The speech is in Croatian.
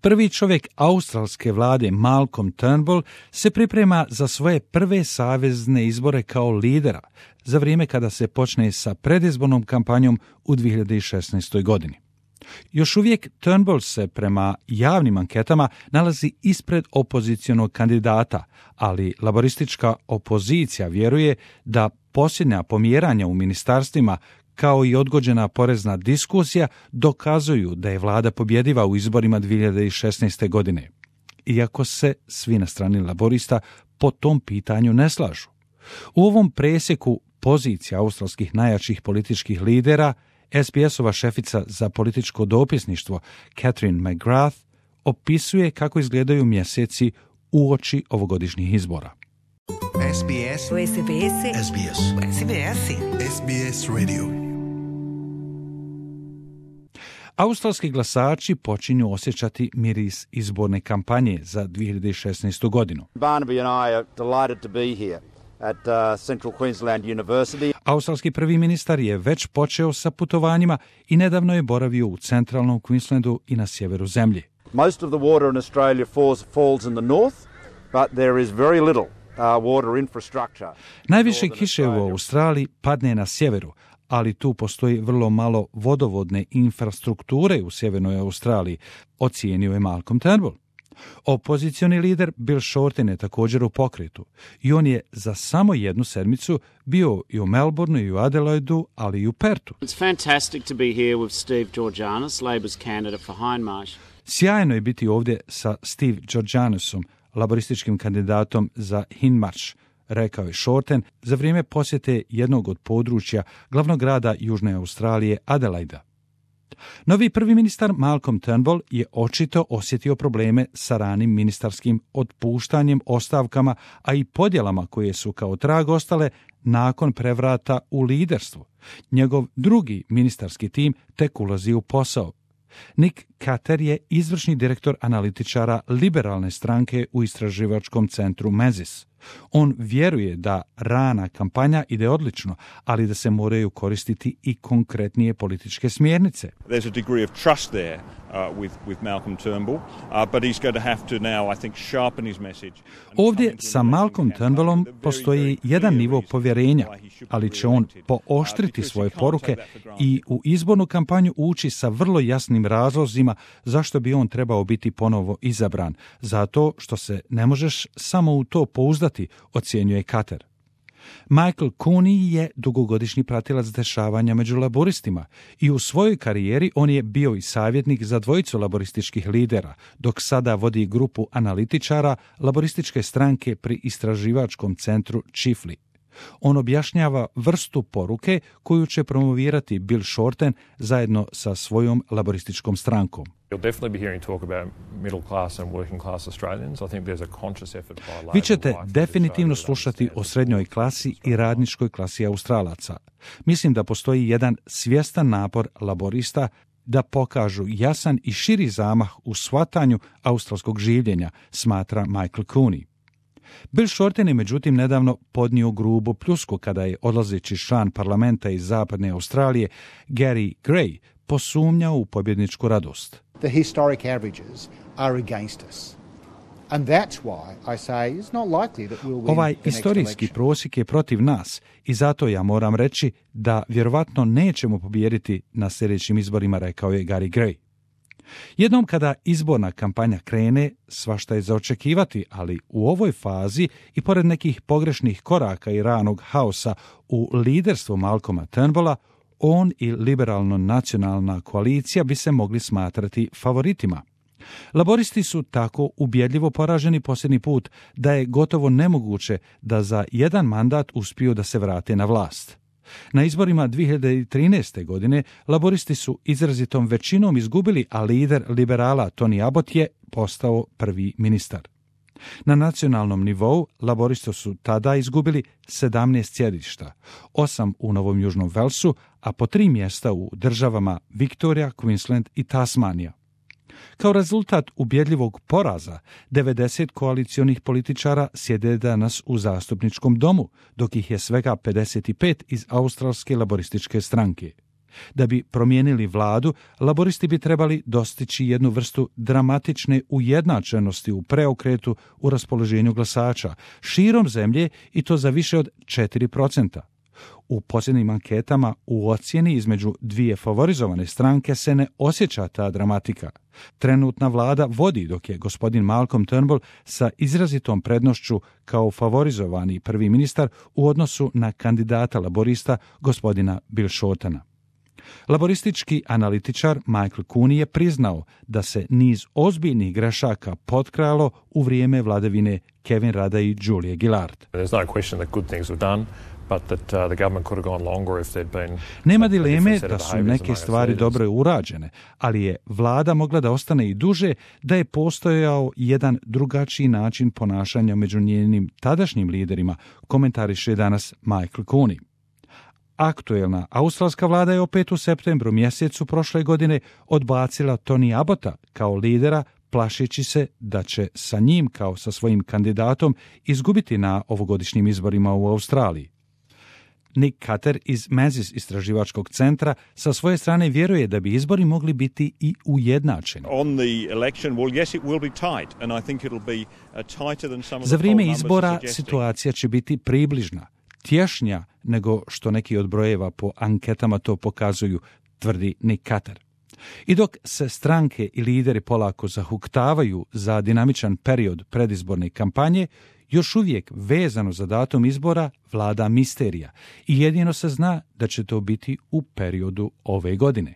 Prvi čovjek australske vlade Malcolm Turnbull se priprema za svoje prve savezne izbore kao lidera za vrijeme kada se počne sa predizbornom kampanjom u 2016. godini. Još uvijek Turnbull se prema javnim anketama nalazi ispred opozicionog kandidata, ali laboristička opozicija vjeruje da posljednja pomjeranja u ministarstvima kao i odgođena porezna diskusija dokazuju da je vlada pobjediva u izborima 2016. godine. Iako se svi na strani laborista po tom pitanju ne slažu. U ovom presjeku pozicija australskih najjačih političkih lidera SBS-ova šefica za političko dopisništvo Catherine McGrath opisuje kako izgledaju mjeseci uoči ovogodišnjih izbora. SBS SBS SBS SBS SBS Radio. Australski glasači počinju osjećati miris izborne kampanje za 2016. godinu. Barnaby and I are delighted to be here at Central Queensland University. Australski prvi ministar je već počeo sa putovanjima i nedavno je boravio u centralnom Queenslandu i na sjeveru zemlje. Most of the water in Australia falls in the north, but there is very little water infrastructure. Najviše kiše u Australiji padne na sjeveru, ali tu postoji vrlo malo vodovodne infrastrukture u sjevernoj Australiji, ocijenio je Malcolm Turnbull. Opozicioni lider Bill Shorten je također u pokretu i on je za samo jednu sedmicu bio i u Melbourneu i u Adelaidu, ali i u Pertu. It's fantastic to be here with Steve Georganas, Labor's candidate for Hindmarsh. Sjajno je biti ovdje sa Steve Georganasom, laborističkim kandidatom za Hindmarsh, rekao je Shorten za vrijeme posjete jednog od područja glavnog grada Južne Australije, Adelaida. Novi prvi ministar Malcolm Turnbull je očito osjetio probleme sa ranim ministarskim otpuštanjem, ostavkama, a i podjelama koje su kao trag ostale nakon prevrata u liderstvu. Njegov drugi ministarski tim tek ulazi u posao. Nick Carter je izvršni direktor analitičara liberalne stranke u istraživačkom centru Menzies. On vjeruje da rana kampanja ide odlično, ali da se moraju koristiti i konkretnije političke smjernice. There's a degree of trust there with Malcolm Turnbull, but he's going to have to now, I think, sharpen his message. Ovdje sa Malcolm Turnbullom postoji jedan nivo povjerenja, ali će on pooštriti svoje poruke i u izbornu kampanju ući sa vrlo jasnim razlozima zašto bi on trebao biti ponovo izabran, zato što se ne možeš samo u to pouzdati, ocjenjuje Carter. Michael Cooney je dugogodišnji pratilac dešavanja među laboristima i u svojoj karijeri on je bio i savjetnik za dvojicu laborističkih lidera, dok sada vodi grupu analitičara laborističke stranke pri istraživačkom centru Chifley. On objašnjava vrstu poruke koju će promovirati Bill Shorten zajedno sa svojom laborističkom strankom. Vi ćete definitivno slušati o srednjoj klasi i radničkoj klasi Australaca. Mislim da postoji jedan svjestan napor laborista da pokažu jasan i širi zamah u shvatanju australskog življenja, smatra Michael Cooney. Bill Shorten je međutim nedavno podnio grubu pljusku kada je odlazeći član parlamenta iz zapadne Australije Gary Gray posumnjao u pobjedničku radost. The historic averages are against us. And that's why I say it's not likely that we'll win Ovaj the next istorijski election. prosjek je protiv nas i zato ja moram reći da vjerovatno nećemo pobijediti na sljedećim izborima, rekao je Gary Gray. Jednom kada izborna kampanja krene, svašta je za očekivati, ali u ovoj fazi i pored nekih pogrešnih koraka i ranog haosa u liderstvu Malcolma Turnbulla, on i liberalno-nacionalna koalicija bi se mogli smatrati favoritima. Laboristi su tako ubjedljivo poraženi posljednji put da je gotovo nemoguće da za jedan mandat uspiju da se vrate na vlast. Na izborima 2013. godine laboristi su izrazitom većinom izgubili, a lider liberala Tony Abbott je postao prvi ministar. Na nacionalnom nivou laboristi su tada izgubili 17 sjedišta, 8 u Novom Južnom Velsu, a po 3 mjesta u državama Viktorija, Queensland i Tasmanija. Kao rezultat ubjedljivog poraza, 90 koalicionih političara sjede danas u zastupničkom domu, dok ih je svega 55 iz australske laborističke stranke. Da bi promijenili vladu, laboristi bi trebali dostići jednu vrstu dramatične ujednačenosti u preokretu u raspoloženju glasača širom zemlje i to za više od 4%. U posljednjim anketama u ocjeni između dvije favorizovane stranke se ne osjeća ta dramatika. Trenutna vlada vodi dok je gospodin Malcolm Turnbull sa izrazitom prednošću kao favorizovani prvi ministar u odnosu na kandidata laborista gospodina Bill Shortena. Laboristički analitičar Michael Cooney je priznao da se niz ozbiljnih grešaka potkralo u vrijeme vladavine Kevin Rudda i Julie Gillard. Nema dileme da su neke stvari dobro urađene, ali je vlada mogla da ostane i duže da je postojao jedan drugačiji način ponašanja među njenim tadašnjim liderima, komentariše danas Michael Cooney. Aktuelna australska vlada je opet u septembru mjesecu prošle godine odbacila Tony Abbotta kao lidera, plašeći se da će sa njim kao sa svojim kandidatom izgubiti na ovogodišnjim izborima u Australiji. Nick Cutter iz Menzies istraživačkog centra sa svoje strane vjeruje da bi izbori mogli biti i ujednačeni. Za vrijeme izbora situacija će biti približna, tješnja nego što neki od brojeva po anketama to pokazuju, tvrdi Nick Cutter. I dok se stranke i lideri polako zahuktavaju za dinamičan period predizborne kampanje, još uvijek vezano za datum izbora vlada misterija i jedino se zna da će to biti u periodu ove godine.